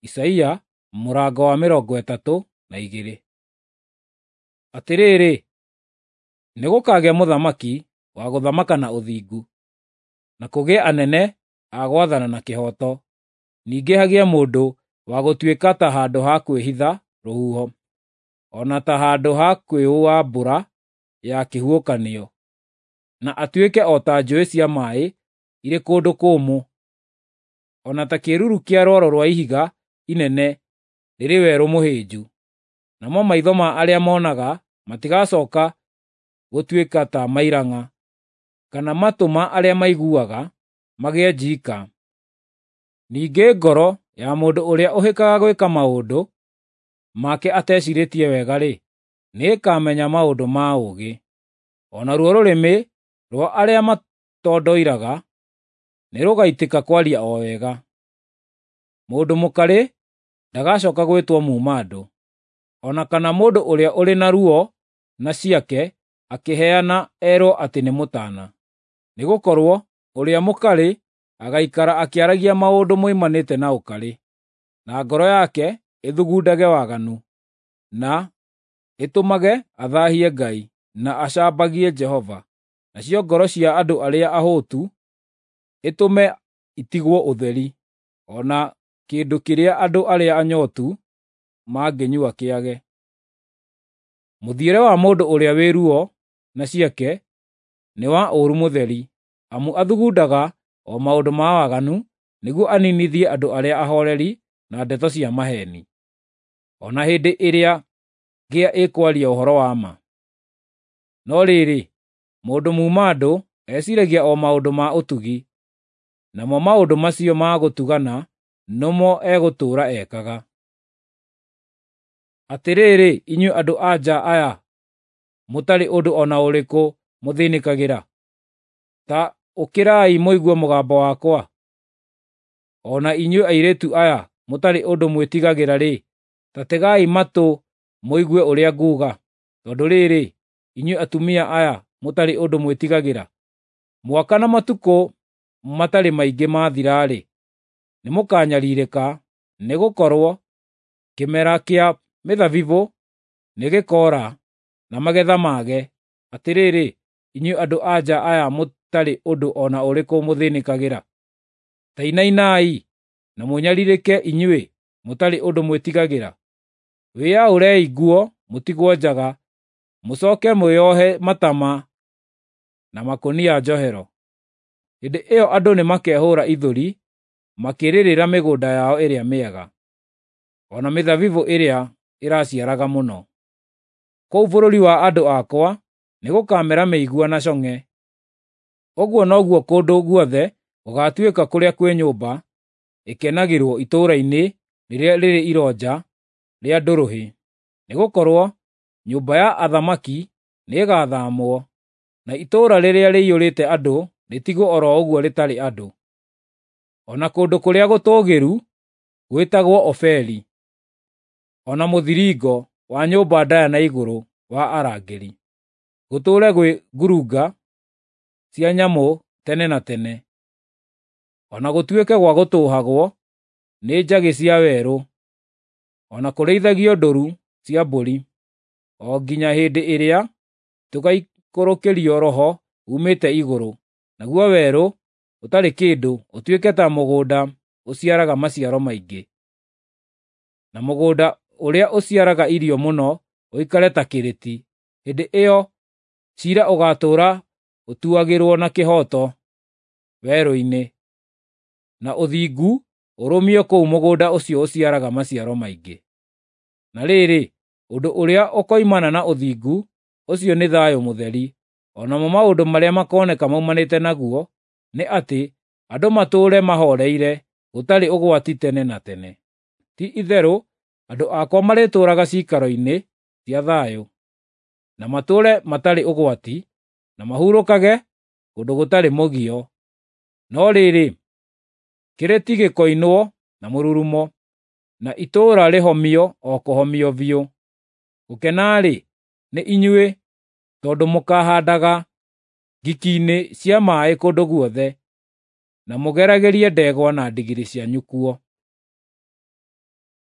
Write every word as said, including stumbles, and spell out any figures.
Isaia mũrango wa mĩrongo ĩtatũ na igĩrĩ. Atĩrĩrĩ, nĩgũkagĩa mũthamaki wa gũthamaka na ũthingu, na kũgĩe anene a gwathana na kĩhooto, ningĩ hagĩe mũndũ wa gũtuĩka ta handũ ha kwĩhitha rũhuho, o na ta handũ ha kwĩũa mbura ya kĩhuhũkanio, na atuĩke o ta njũũĩ cia maaĩ irĩ kũndũ kũmũ, o na ta kĩĩruru kĩa rwaro rwa ihiga inene rĩrĩ werũ mũhĩnju. Namo maitho ma arĩa monaga matigacooka gũtuĩka ta mairang'a, kana matũ ma arĩa maiguaga magĩe njiika. Ningĩ ngoro ya mũndũ ũrĩa ũhĩkaga gwĩka maũndũ make ateciirĩtie wega-rĩ, nĩĩkamenya maũndũ ma ũũgĩ. O naruo rũrĩmĩ rwa arĩa matondoiraga nĩrũgaitĩka kwaria o wega. Mũndũ mũkarĩ ndagacooka gwĩtwo muuma-andũ, o na kana mũndũ ũrĩa ũrĩ na ruo na ciake akĩheana erwo atĩ nĩ mũtaana. Nĩgũkorwo ũrĩa mũkarĩ agaikara akĩaragia maũndũ moimanĩte na ũkarĩ, na ngoro yake ĩthugundage waganu, na ĩtũmage athaahie Ngai, na acambagie Jehova. Nacio ngoro cia andũ arĩa ahũtu ĩtũme itigwo ũtheri, o na kĩndũ kĩrĩa andũ arĩa anyootu mangĩnyua kĩage. Mũthiĩre wa mũndũ ũrĩa wĩ ruo na ciake nĩ wa ũũru mũtheri, amu athugundaga o maũndũ ma waganu nĩguo aniinithie andũ arĩa ahooreri na ndeto cia maheeni, o na hĩndĩ ĩrĩa ngĩa ĩkwaria ũhoro wa ma. No rĩrĩ, mũndũ muuma-andũ eciiragia o maũndũ ma ũtugi, namo maũndũ macio ma gũtugana nomo egũtũũra ekaga. Atĩrĩrĩ, inyuĩ andũ-a-nja aya mũtarĩ ũndũ o na ũrĩkũ mũthĩnĩkagĩra, ta ũkĩrai mũigue mũgambo wakwa; o na inyuĩ airĩtu aya mũtarĩ ũndũ mwĩtigagĩra-rĩ, ta tegai matũ mũigue ũrĩa nguuga. Tondũ rĩrĩ, inyuĩ atumia aya mũtarĩ ũndũ mwĩtigagĩra, mwaka na matukũ matarĩ maingĩ mathira-rĩ, nĩmũkanyariirĩka, nĩgũkorwo kĩmera kĩa mĩthabibũ nĩgĩkoora na magetha mage. Atĩrĩrĩ, inyuĩ andũ-a-nja aya mũtarĩ ũndũ o na ũrĩkũ mũthĩnĩkagĩra, ta inainai na mũnyariirĩke inyuĩ mũtarĩ ũndũ mwĩtigagĩra. Wĩyaũrei nguo mũtigwo njaga, mũcooke mwĩohe matama na makũnia njohero. Hĩndĩ ĩyo andũ nĩmakehũũra ithũri makĩrĩrĩra mĩgũnda yao ĩrĩa mĩega, o na mĩthabibũ ĩrĩa ĩraciaraga mũno. Kũu bũrũri wa andũ akwa nĩgũkamera mĩigua na cong'e. Ũguo noguo kũndũ guothe gũgaatuĩka kũrĩa kwĩ nyũmba ĩkenagĩrwo itũũra-inĩ rĩrĩa rĩrĩ ironja rĩa ndũrũhĩ, nĩgũkorwo nyũmba ya athamaki nĩĩgathaamwo, na itũũra rĩrĩa rĩiyũrĩte andũ rĩtigwo o ro ũguo rĩtarĩ andũ. O na kũndũ kũrĩa gũtũũgĩru gwĩtagwo Ofeli, o na mũthiringo wa nyũmba ndaaya na igũrũ wa arangĩri, gũtũũre gwĩ ngurunga cia nyamũ tene na tene, o na gũtuĩke gwa gũtũũhagwo nĩ njagĩ cia werũ, o na kũrĩithagio ndũũru cia mbũri, o nginya hĩndĩ ĩrĩa tũgaikũrũkĩrio Roho uumĩte igũrũ, naguo werũ ũtarĩ kĩndũ ũtuĩke ta mũgũnda ũciaraga maciaro maingĩ, na mũgũnda ũrĩa ũciaraga irio mũno ũikare ta kĩrĩti. Hĩndĩ ĩyo ciira ũgaatũũra ũtuagĩrwo na kĩhooto werũ-inĩ, na ũthingu ũrũmio kũu mũgũnda ũcio ũciaraga maciaro maingĩ. Na rĩrĩ, ũndũ ũrĩa ũkoimana na ũthingu ũcio nĩ thayũ mũtheri, o namo maũndũ marĩa makooneka maumanĩte naguo nĩ atĩ andũ matũũre mahooreire gũtarĩ ũgwati tene na tene. Ti-itherũ andũ akwa marĩtũũraga ciikaro-inĩ cia thayũ, na matũũre matarĩ ũgwati, na mahurũkage kũndũ gũtarĩ mũgio. No rĩrĩ, kĩrĩti gĩkoinwo na mũrurumo, na itũũra rĩhomio o kũhomio biũ. Gũkena-rĩ, nĩ inyuĩ, tondũ mũkaahandaga ngiki-inĩ cia maaĩ kũndũ guothe, na mũgeragĩrie ndegwa na ndigiri cianyu kuo.